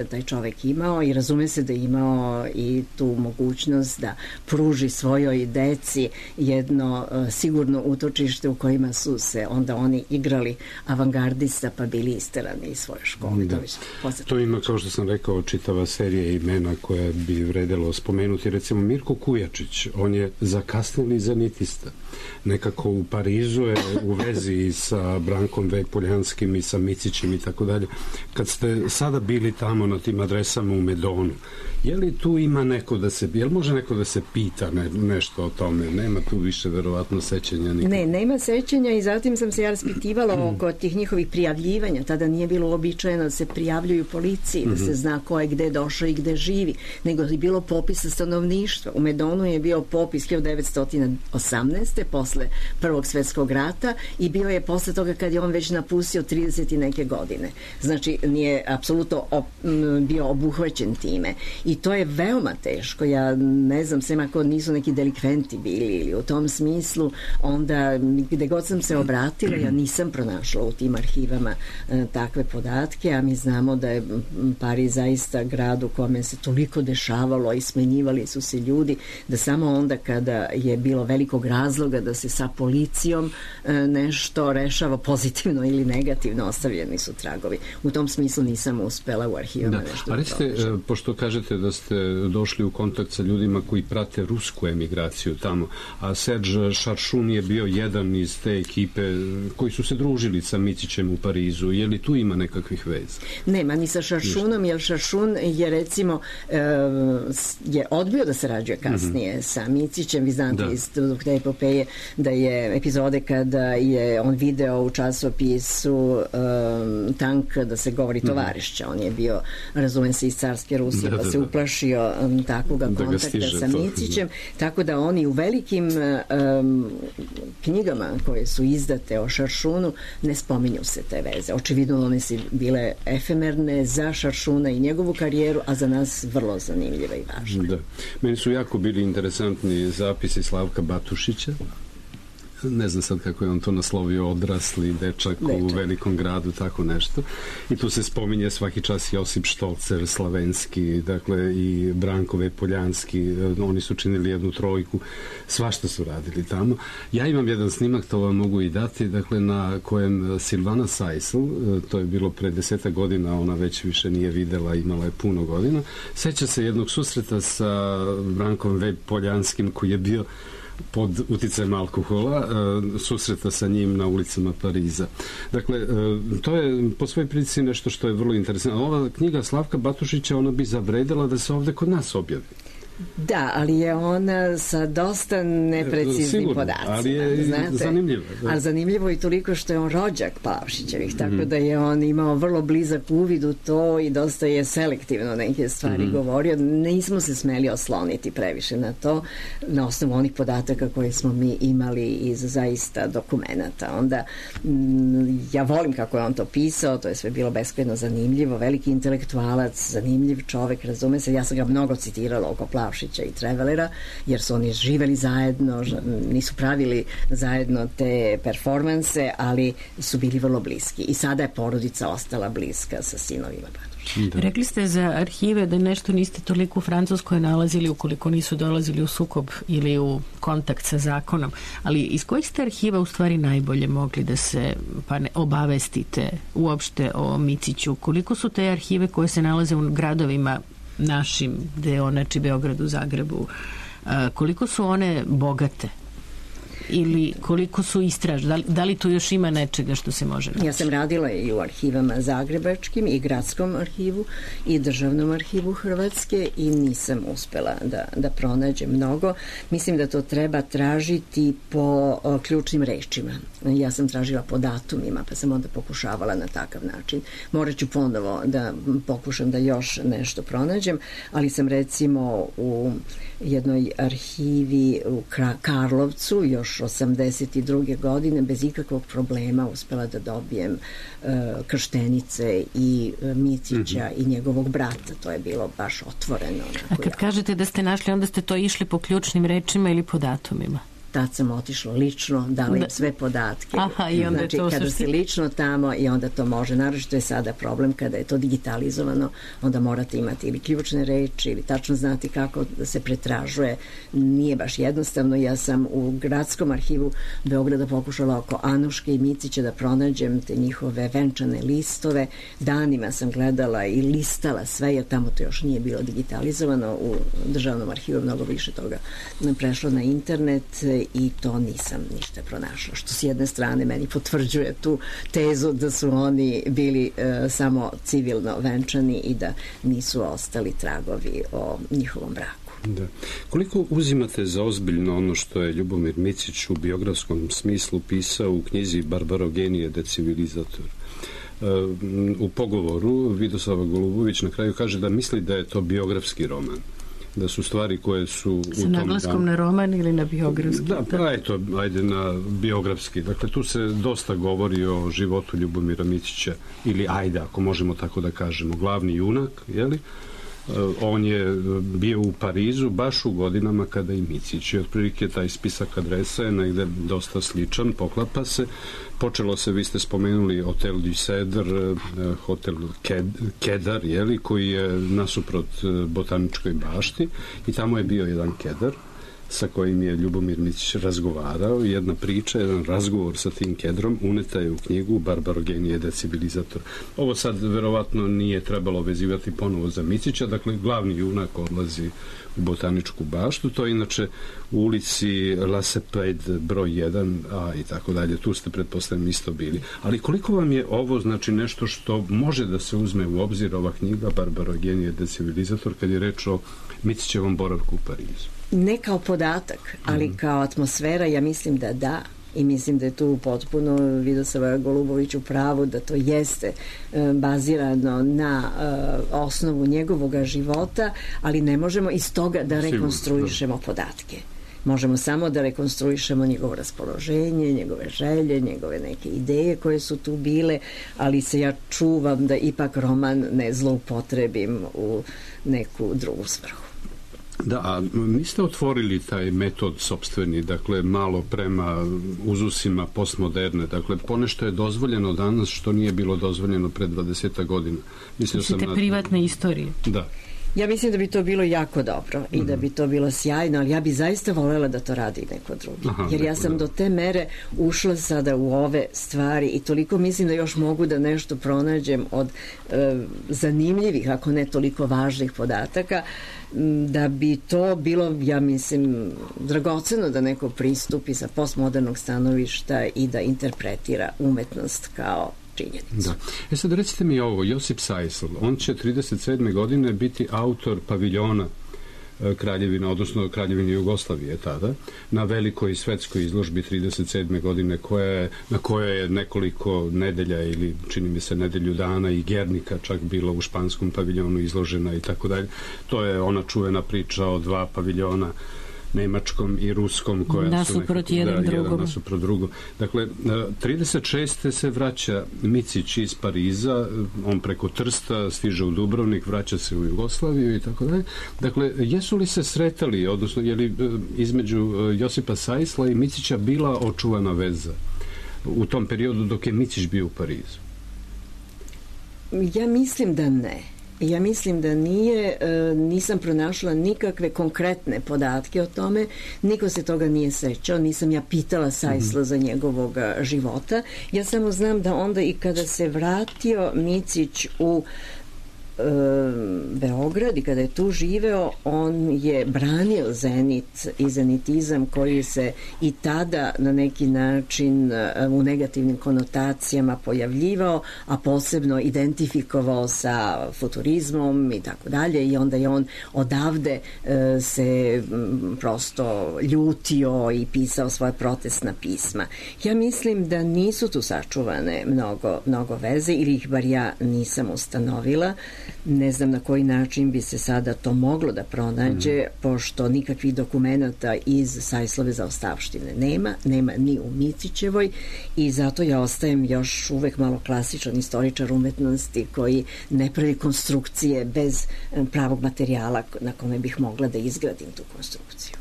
taj čovek imao i razume se da je imao i tu mogućnost da pruži svojoj deci jedno sigurno utočište u kojima su se onda oni igrali avangardista pa bili isterani iz svoje škole. Da. To ima, kao što sam rekao, čitava serija imena koja bi vredelo spomenuti. Recimo Mirko Kujačić, on je zakasnili zenitista. Nekako u Parizu je u vezi sa Brankom Poljanskim i sa Micićem i tako dalje. Kad ste sada bili tamo na tim adresama u Medonu, je li tu ima neko da se, jel može neko da se pita nešto o tome? Nema tu više verovatno sećanja nikog. Ne, nema sećanja i zatim sam se ja raspitivala oko tih njihovih prijavljivanja. Tada nije bilo uobičajeno da se prijavljuju policiji, da se zna ko je gde došao i gde živi, nego je bilo popisa stanovništva. U Medonu je bio popis 1918. posle Prvog svetskog rata i bio je posle toga kad je on već napustio 30 i neke godine. Znači, nije apsolutno bio obuhvaćen time. I to je veoma teško. Ja ne znam, sem ako nisu neki delikventi bili ili u tom smislu, onda gde god sam se obratila, ja nisam pronašla u tim arhivama takve podatke, a mi znamo da je Pariz zaista grad u kome se toliko dešavalo i smenjivali su se ljudi, da samo onda kada je bilo velikog razloga da se sa policijom nešto rešava pozitivno ili negativno, ostavljeni su tragovi. U tom smislu nisam uspela u arhivama nešto. A recite, pošto kažete da ste došli u kontakt sa ljudima koji prate rusku emigraciju tamo, a Serge Šaršun je bio jedan iz te ekipe koji su se družili sa Micićem u Parizu. Je li tu ima nekakvih veza? Nema, ni sa Šaršunom, jer Šaršun je recimo je odbio da sarađuje kasnije sa Micićem. Vi znate iz te epopeje da je epizode kada je on video u časopisu tank da se govori tovarišća. On je bio, razumem se, iz carske Rusije, pa se uplašio takvog kontakta sa Micićem. Tako da oni u velikim knjigama koje su izdate o Šaršunu ne spominju se te veze. Očividno one su bile efemerne za Šaršuna i njegovu karijeru, a za nas vrlo zanimljive i važne. Da. Meni su jako bili interesantni zapisi Slavka Batušića. Ne znam sad kako je on to naslovio, odrasli dečak u velikom gradu, tako nešto. I tu se spominje svaki čas Josip Štolcer, Slavenski, dakle i Brankove Poljanski, oni su činili jednu trojku, svašta su radili tamo. Ja imam jedan snimak, to vam mogu i dati, dakle na kojem Silvana Sajsl, to je bilo pre 10 godina, ona već više nije videla, imala je puno godina, seća se jednog susreta sa Brankom Poljanskim koji je bio pod uticajem alkohola, susreta sa njim na ulicama Pariza. Dakle, to je po svojoj prilici nešto što je vrlo interesantno. Ova knjiga Slavka Batušića, ona bi zavredela da se ovde kod nas objavi. Da, ali je ona sa dosta nepreciznim podacima. Ali je zanimljivo. Ali zanimljivo i toliko što je on rođak Plavšićevih, tako da je on imao vrlo blizak uvid u to i dosta je selektivno neke stvari govorio. Nismo se smeli osloniti previše na to, na osnovu onih podataka koje smo mi imali iz zaista dokumenta. Onda, ja volim kako je on to pisao, to je sve bilo beskrajno zanimljivo, veliki intelektualac, zanimljiv čovek, razume se, ja sam ga mnogo citirala oko Plavšića i Trevelera, jer su oni živeli zajedno, nisu pravili zajedno te performanse, ali su bili vrlo bliski. I sada je porodica ostala bliska sa sinovima Batušića. Rekli ste za arhive da nešto niste toliko u Francuskoj nalazili ukoliko nisu dolazili u sukob ili u kontakt sa zakonom, ali iz kojih ste arhiva u stvari najbolje mogli da se obavestite uopšte o Miciću? Koliko su te arhive koje se nalaze u gradovima našim, znači Beogradu, Zagrebu, koliko su one bogate ili koliko su istražne? Da li tu još ima nečega što se može naći? Ja sam radila i u arhivama zagrebačkim i gradskom arhivu i državnom arhivu Hrvatske i nisam uspela da pronađem mnogo. Mislim da to treba tražiti po ključnim rečima. Ja sam tražila po datumima, pa sam onda pokušavala na takav način. Morat ću ponovo da pokušam da još nešto pronađem, ali sam recimo u jednoj arhivi u Karlovcu još 82. godine bez ikakvog problema uspela da dobijem krštenice i Micića i njegovog brata. To je bilo baš otvoreno. A kad kažete da ste našli, onda ste to išli po ključnim rečima ili po datumima? Tad sam otišla lično, dala im sve podatke. Aha, i onda znači, kada si lično tamo i onda to može. Naravno, to je sada problem kada je to digitalizovano, onda morate imati ili ključne reči ili tačno znati kako da se pretražuje. Nije baš jednostavno. Ja sam u gradskom arhivu Beograda pokušala oko Anuške i Micića da pronađem te njihove venčane listove. Danima sam gledala i listala sve, jer tamo to još nije bilo digitalizovano. U državnom arhivu mnogo više toga prešlo na internet i to nisam ništa pronašla. Što s jedne strane meni potvrđuje tu tezu da su oni bili samo civilno venčani i da nisu ostali tragovi o njihovom braku. Da. Koliko uzimate za ozbiljno ono što je Ljubomir Micić u biografskom smislu pisao u knjizi Barbarogenije decivilizator? U pogovoru Vidoslava Golubović na kraju kaže da misli da je to biografski roman, da su stvari koje su u tom sa naglaskom na roman ili na biografski? Da, ajde na biografski. Dakle, tu se dosta govori o životu Ljubomira Micića, ili ajde, ako možemo tako da kažemo, glavni junak, jeli? On je bio u Parizu baš u godinama kada i Micić. I otprilike taj spisak adresa je negde dosta sličan, poklapa se. Počelo se, vi ste spomenuli Hotel du Cedar, Hotel Kedar, jeli, koji je nasuprot Botaničkoj bašti i tamo je bio jedan kedar sa kojim je Ljubomir Micić razgovarao. Jedna priča, jedan razgovor sa tim kedrom uneta je u knjigu Barbarogenije decivilizator. Ovo sad verovatno nije trebalo vezivati ponovo za Micića, dakle glavni junak odlazi u Botaničku baštu, to je inače u ulici La Cepede broj 1 i tako dalje, tu ste pretpostavljeni isto bili. Ali koliko vam je ovo znači nešto što može da se uzme u obzir, ova knjiga Barbarogenije decivilizator, kad je reč o Micićevom boravku u Parizu? ne kao podatak, ali kao atmosfera, ja mislim da da. I mislim da je tu potpuno Vidosava Golubović u pravu da to jeste bazirano na osnovu njegovog života, ali ne možemo iz toga da rekonstruišemo podatke. Možemo samo da rekonstruišemo njegovo raspoloženje, njegove želje, njegove neke ideje koje su tu bile, ali se ja čuvam da ipak roman ne zloupotrebim u neku drugu svrhu. Da, a niste otvorili taj metod sopstveni, dakle malo prema uzusima postmoderne, dakle ponešto je dozvoljeno danas što nije bilo dozvoljeno pred 20 godina. Mislite privatne istorije? Da. Ja mislim da bi to bilo jako dobro i da bi to bilo sjajno, ali ja bi zaista voljela da to radi neko drugi. Jer ja sam do te mere ušla sada u ove stvari i toliko mislim da još mogu da nešto pronađem od zanimljivih, ako ne toliko važnih podataka, da bi to bilo, ja mislim, dragoceno da neko pristupi sa postmodernog stanovišta i da interpretira umetnost kao činjenicu. Da. Sad recite mi ovo, Josip Sajsl, on će 37. godine biti autor paviljona Kraljevina, odnosno Kraljevine Jugoslavije tada, na velikoj svetskoj izložbi 37. godine na kojoj je nekoliko nedelja ili čini mi se nedelju dana i Gernika čak bila u španskom paviljonu izložena i tako dalje. To je ona čuvena priča o dva paviljona, nemačkom i ruskom, koja nasuprot jedan drugom. Dakle, 36. se vraća Micić iz Pariza, on preko Trsta stiže u Dubrovnik, vraća se u Jugoslaviju i tako dalje. Dakle, jesu li se sretali, odnosno je li između Josipa Sajsla i Micića bila očuvana veza u tom periodu dok je Micić bio u Parizu? Ja mislim da ne. Ja mislim da nije, nisam pronašla nikakve konkretne podatke o tome, niko se toga nije sećao, nisam ja pitala Sajsla za njegovog života. Ja samo znam da onda i kada se vratio Micić u Beograd i kada je tu živeo, on je branio Zenit i zenitizam koji se i tada na neki način u negativnim konotacijama pojavljivao, a posebno identifikovao sa futurizmom i tako dalje, i onda je on odavde se prosto ljutio i pisao svoje protestna pisma. Ja mislim da nisu tu sačuvane mnogo veze, ili ih bar ja nisam ustanovila. Ne znam na koji način bi se sada to moglo da pronađe, pošto nikakvih dokumenata iz Sajslove zaostavštine nema ni u Micićevoj, i zato ja ostajem još uvek malo klasičan istoričar umetnosti koji ne pravi konstrukcije bez pravog materijala na kome bih mogla da izgradim tu konstrukciju.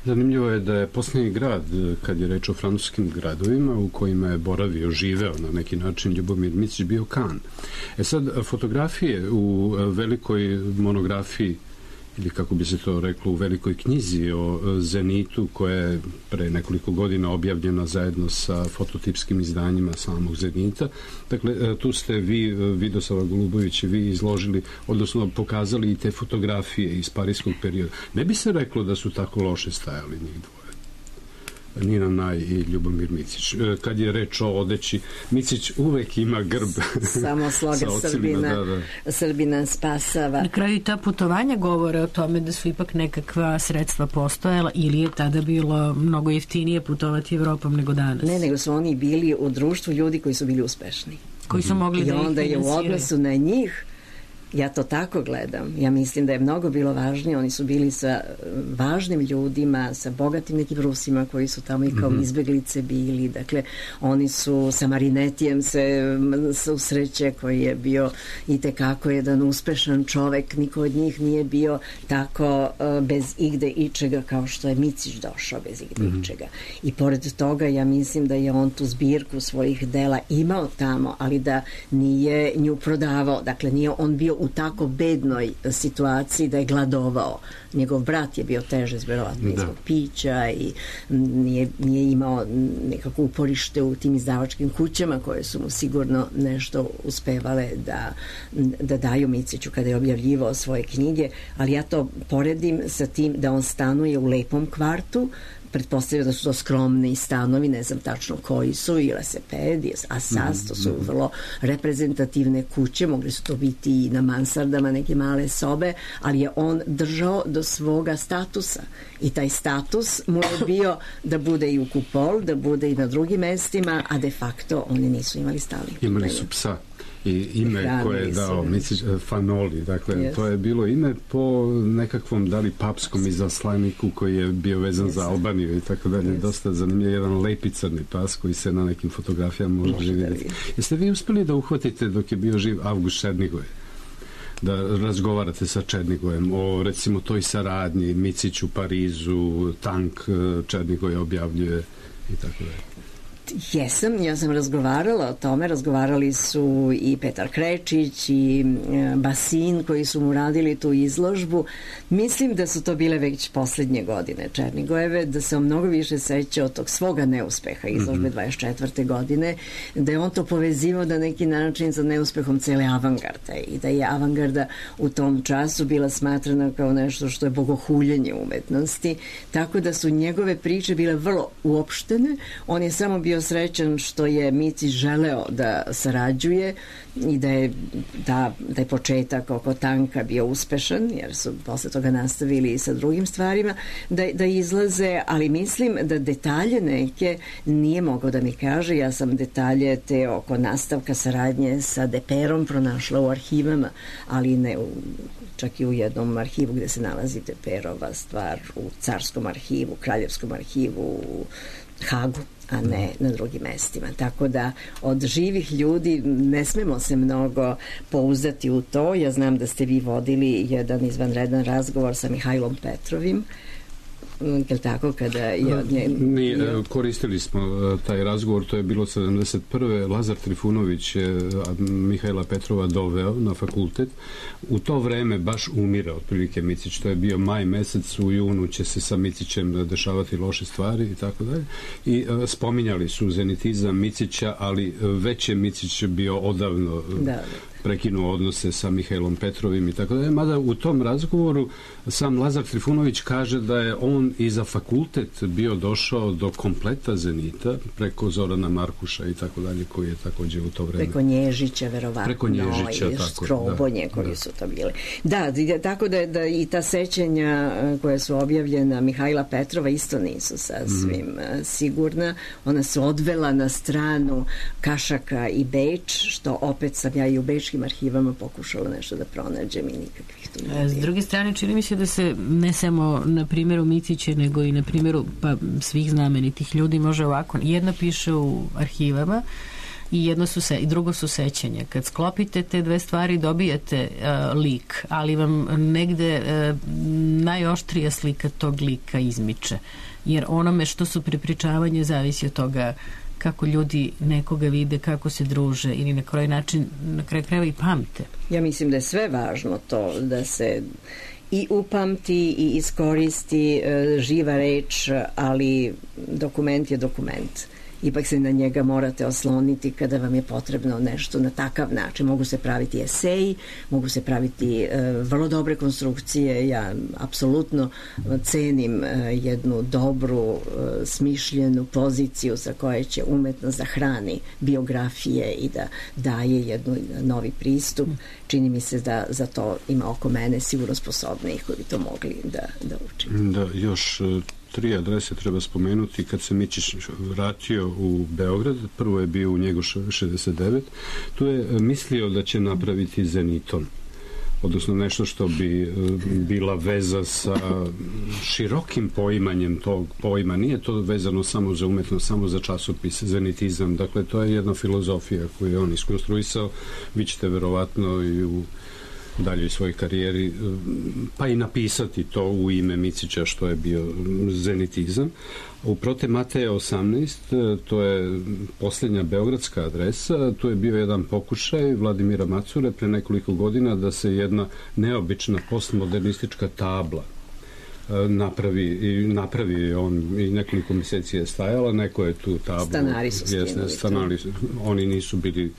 Zanimljivo je da je posljednji grad, kad je reč o francuskim gradovima u kojima je boravio, živeo na neki način Ljubomir Micić, bio Kan. Sad, fotografije u velikoj monografiji, ili kako bi se to reklo, u velikoj knjizi o Zenitu, koja je pre nekoliko godina objavljena zajedno sa fototipskim izdanjima samog Zenita. Dakle, tu ste vi, Vidosava Golubović, i vi izložili, odnosno pokazali i te fotografije iz parijskog perioda. Ne bi se reklo da su tako loše stajali njih dvoje, Nina Naj i Ljubomir Micić. Kad je reč o odeći, Micić uvek ima grb. Samo sloga Srbina spasava. Na kraju ta putovanja govore o tome da su ipak nekakva sredstva postojala, ili je tada bilo mnogo jeftinije putovati Evropom nego danas? Ne, nego su oni bili u društvu ljudi koji su bili uspešni. Koji su mogli da ih finansiraju. I onda je u odnosu na njih, ja to tako gledam. Ja mislim da je mnogo bilo važnije. Oni su bili sa važnim ljudima, sa bogatim nekim Rusima koji su tamo i kao izbeglice bili. Dakle, oni su sa Marinetijem se susreće, koji je bio i tekako jedan uspešan čovek. Niko od njih nije bio tako bez igde ičega kao što je Micić došao bez igde ičega. I pored toga ja mislim da je on tu zbirku svojih dela imao tamo, ali da nije nju prodavao. Dakle, nije on bio u tako bednoj situaciji da je gladovao. Njegov brat je bio teže verovatno izbog pića i nije imao nekako uporište u tim izdavačkim kućama koje su mu sigurno nešto uspevale da daju Miciću kada je objavljivao svoje knjige, ali ja to poredim sa tim da on stanuje u lepom kvartu pretpostavljam da su to skromni stanovi, ne znam tačno koji su, i Leseped, Asas, to su vrlo reprezentativne kuće, mogli su to biti i na mansardama, neke male sobe, ali je on držao do svoga statusa i taj status mu je bio da bude i u Kupol, da bude i na drugim mestima, a de facto oni nisu imali stali. Imali su psa i ime koje je dao Micić, Fanoli, dakle to je bilo ime po nekakvom da li papskom izaslaniku koji je bio vezan za Albaniju i tako dalje, dosta zanimljiv, jedan lepi crni pas koji se na nekim fotografijama može vidjeti. Jeste vi uspeli da uhvatite dok je bio živ Avgust Černigoje, da razgovarate sa Černigojem o recimo toj saradnji, Micić u Parizu, Tank Černigoje objavljuje i tako dalje? Ja sam razgovarala o tome, razgovarali su i Petar Krečić i Basin koji su mu radili tu izložbu. Mislim da su to bile već poslednje godine Černigojeve, da se on mnogo više seća od tog svoga neuspeha izložbe 24. godine, da je on to povezivao na neki način sa neuspehom cele avangarde i da je avangarda u tom času bila smatrana kao nešto što je bogohuljenje umetnosti, tako da su njegove priče bile vrlo uopštene. On je samo bio srećan što je Micić želeo da sarađuje i da je taj početak oko Tanka bio uspešan, jer su posle toga nastavili i sa drugim stvarima da izlaze, ali mislim da detalje neke nije mogao da mi kaže. Ja sam detalje te oko nastavka saradnje sa Deperom pronašla u arhivama, ali ne čak i u jednom arhivu gde se nalazi Deperova stvar, u Carskom arhivu, Kraljevskom arhivu, u Hagu, a ne na drugim mestima. Tako da od živih ljudi ne smemo se mnogo pouzdati u to. Ja znam da ste vi vodili jedan izvanredan razgovor sa Mihajlom Petrovim, je tako, kada je od nje... Koristili smo taj razgovor, to je bilo 71. Lazar Trifunović je Mihajla Petrova doveo na fakultet. U to vreme baš umira otprilike Micić, to je bio maj mesec, u junu će se sa Micićem dešavati loše stvari i tako dalje. I spominjali su zenitizam Micića, ali već je Micić bio odavno prekinuo odnose sa Mihajlom Petrovim i tako dalje. Mada u tom razgovoru sam Lazar Trifunović kaže da je on i za fakultet bio došao do kompleta Zenita preko Zorana Markuša i tako dalje, koji je takođe u to vreme. Preko Nježića, verovatno. Preko Nježića, i Škrobonje koji su to bili. Da, tako da i ta sećanja koja su objavljena Mihajla Petrova isto nisu sasvim sigurna. Ona su odvela na stranu Kašaka i Beč, što opet sam ja i u bečkim arhivama pokušala nešto da pronađem i nikakvih tu ne. S druge strane, čini mi se da se ne samo na primjeru Micića, nego i na primjeru svih znamenitih ljudi može ovako. Jedna piše u arhivama i drugo su sećanja. Kad sklopite te dve stvari dobijete lik, ali vam negde najoštrija slika tog lika izmiče. Jer onome što su prepričavanje zavisi od toga kako ljudi nekoga vide, kako se druže ili na koji način na kraju krajeva i pamte. Ja mislim da je sve važno to da se i upamti i iskoristi živa reč, ali dokument je dokument. Ipak se na njega morate osloniti kada vam je potrebno nešto na takav način. Mogu se praviti eseji, mogu se praviti vrlo dobre konstrukcije. Ja apsolutno cenim jednu dobru, smišljenu poziciju sa koje će umetnost da hrani biografije i da daje jednu novi pristup. Čini mi se da za to ima oko mene sigurno sposobnih koji bi to mogli da učinu. Da, još 3 adrese treba spomenuti. Kad se Micić vratio u Beograd, prvo je bio u Njegošu 69, tu je mislio da će napraviti Zeniton, odnosno nešto što bi bila veza sa širokim poimanjem tog pojma. Nije to vezano samo za umetnost, samo za časopis, zenitizam. Dakle, to je jedna filozofija koju je on iskonstruisao. Vi ćete verovatno i u daljoj svojoj karijeri pa i napisati to u ime Micića što je bio zenitizam. U Prote Mateja 18, to je posljednja beogradska adresa, tu je bio jedan pokušaj Vladimira Macure pre nekoliko godina da se jedna neobična postmodernistička tabla napravi on i nekoliko meseci je stajala, neko je tu tablu stanari su skinuli. Oni nisu bili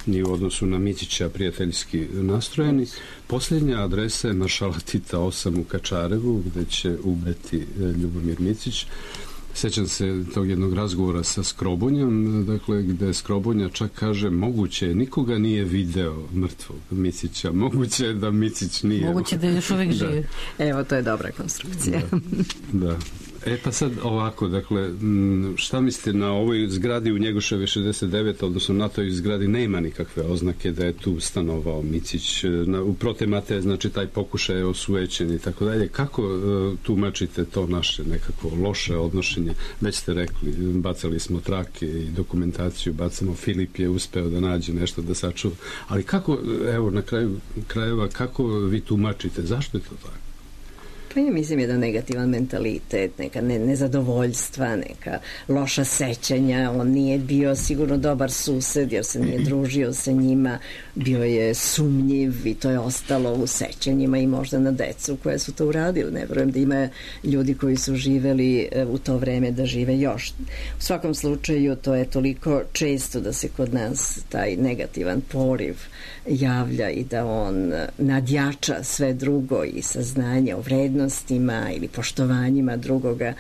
ni u odnosu na Micića prijateljski nastrojeni. Posljednja adresa je Maršala Tita 8 u Kačarevu, gde će ubiti Ljubomir Micić. Sećam se tog jednog razgovora sa Skrobonjom, dakle, gde Skrobonja čak kaže, moguće, nikoga nije video mrtvog Micića, moguće da Micić nije. Moguće da još uvek živi. Evo, to je dobra konstrukcija. Da. Pa sad ovako, dakle, šta mislite, na ovoj zgradi u Njegoševoj 69, odnosno na toj zgradi nema nikakve oznake da je tu stanovao Micić, u Protemate, znači taj pokušaj je osujećen i tako dalje. Kako tumačite to naše nekako loše odnošenje? Već ste rekli, bacali smo trake i dokumentaciju, bacamo, Filip je uspeo da nađe nešto da sačuva, ali kako, evo, na kraju krajeva, kako vi tumačite, zašto je to tako? Pa ja mislim jedan negativan mentalitet, neka nezadovoljstva, neka loša sećanja. On nije bio sigurno dobar sused jer se nije družio sa njima, bio je sumnjiv i to je ostalo u sećanjima i možda na decu koje su to uradili. Ne verujem da ima ljudi koji su živeli u to vreme da žive još. U svakom slučaju to je toliko često da se kod nas taj negativan poriv javlja i da on nadjača sve drugo i saznanje o vrednosti ili poštovanjima drugoga,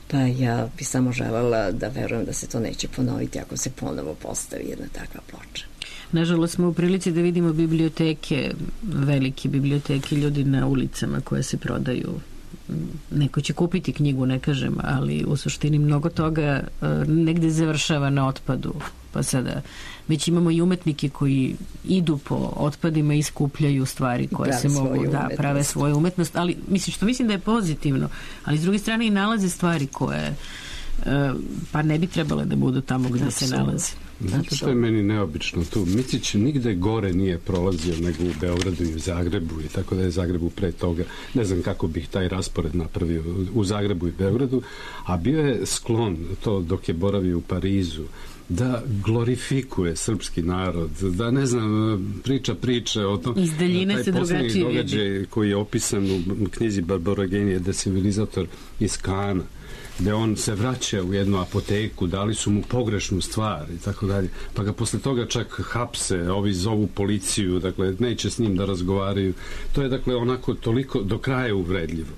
pa ja bi samo želela da verujem da se to neće ponoviti ako se ponovo postavi jedna takva ploča. Nažalost smo u prilici da vidimo biblioteke, velike biblioteke, ljudi na ulicama koje se prodaju. Neko će kupiti knjigu, ne kažem, ali u suštini mnogo toga negde završava na otpadu. Pa sada već imamo i umetnike koji idu po otpadima i skupljaju stvari koje se mogu da prave svoju umetnost, ali mislim da je pozitivno, ali s druge strane i nalaze stvari koje pa ne bi trebale da budu tamo gde se nalaze. Znate što je meni neobično tu? Micić nigde gore nije prolazio nego u Beogradu i u Zagrebu, i tako da je Zagrebu pre toga, ne znam kako bih taj raspored napravio, u Zagrebu i Beogradu, a bio je sklon to dok je boravio u Parizu da glorifikuje srpski narod, da ne znam, priča o tom. Iz daljine se drugačije događaj koji je opisan u knjizi Barborogenije, Decivilizator iz Kana, gde on se vraća u jednu apoteku, dali su mu pogrešnu stvar i tako dalje, pa ga posle toga čak hapse, ovi zovu policiju, dakle neće s njim da razgovaraju. To je dakle onako toliko do kraja uvredljivo.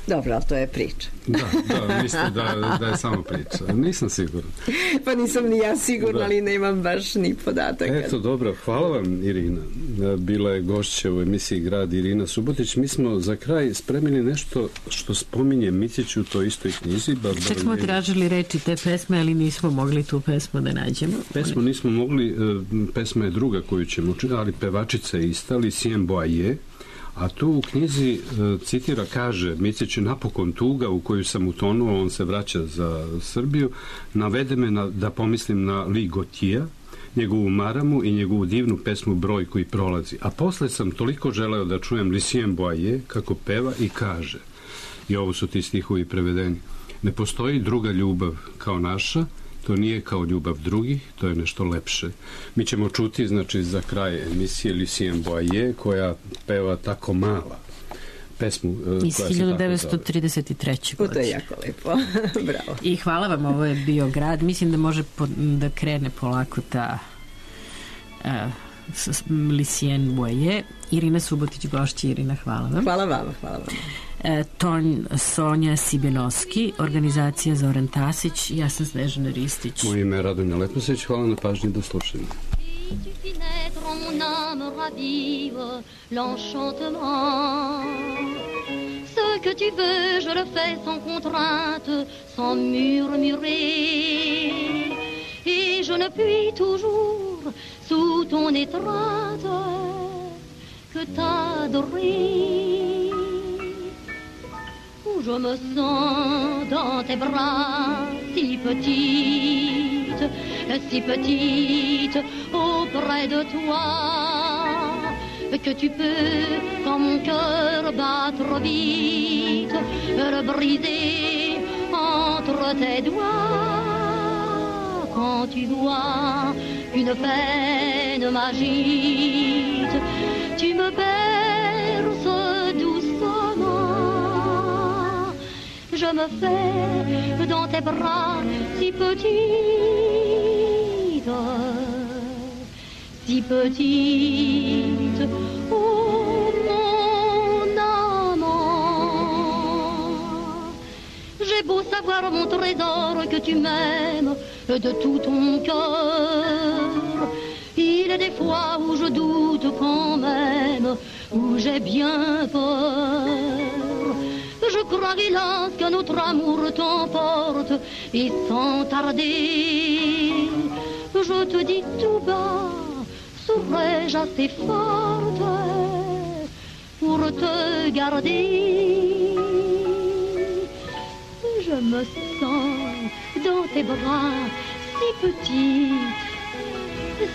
Dobro, ali to je priča. Da, mislite da je samo priča. Nisam siguran. Pa nisam ni ja sigurna, ali nemam baš ni podataka. Eto, dobro, hvala vam, Irina. Bila je gošća u emisiji Grad Irina Subotić. Mi smo za kraj spremili nešto što spominje Micić u toj istoj knjizi. Čak smo tražili reči te pesme, ali nismo mogli tu pesmu da nađemo. Pesmu nismo mogli, pesma je druga koju ćemo čuti, ali pevačica je ista, Lucien Boyer. A tu u knjizi citira, kaže, Micić je napokon tuga u koju sam utonuo, on se vraća za Srbiju, navede me da pomislim na Lee Gautier, njegovu maramu i njegovu divnu pesmu Broj koji prolazi. A posle sam toliko želeo da čujem Lucien Boyer kako peva i kaže, i ovo su ti stihovi prevedeni, ne postoji druga ljubav kao naša, to nije kao ljubav drugih, to je nešto lepše. Mi ćemo čuti, znači, za kraj emisije Lucien Boyer, koja peva Tako mala. Pesmu iz 1933. godine. To je jako lepo. Bravo. I hvala vam, ovo je bio Grad. Mislim da može da krene polako ta Lucien Boyer. Irina Subotić, gošća. Irina, hvala vam. Hvala vam. Ton Sonja Sibenovski, organizacija Zoran Tasić, ja sam Snežana Ristić. Moje ime je Radonja Letnosić, hvala na pažnji, do slušanja. Ce que tu veux, je le fais sans contrainte, sans murmurer. Et je ne puis toujours, sous ton étreinte, que t'adorer. Je me sens dans tes bras si petite auprès de toi, que tu peux, quand mon cœur battre vite, le briser entre tes doigts. Quand tu vois une peine magique, tu me berces doucement. Je me fais dans tes bras si petite, oh mon amant. J'ai beau savoir voir mon trésor que tu m'aimes de tout ton cœur. Il est des fois où je doute quand même, où j'ai bien peur. Je crois, hélas, que notre amour t'emporte, et sans tarder, je te dis tout bas, serais-je assez forte pour te garder? Je me sens dans tes bras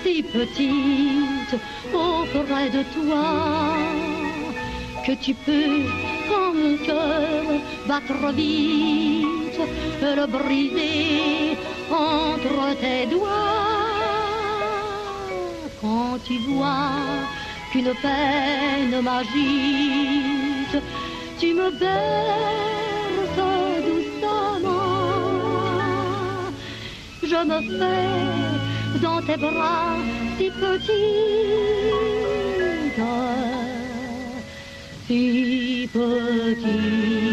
si petite auprès de toi, que tu peux, quand mon cœur battre vite, le briser entre tes doigts. Quand tu vois qu'une peine m'agite, tu me berces doucement. Je me fais dans tes bras si petite, si petite.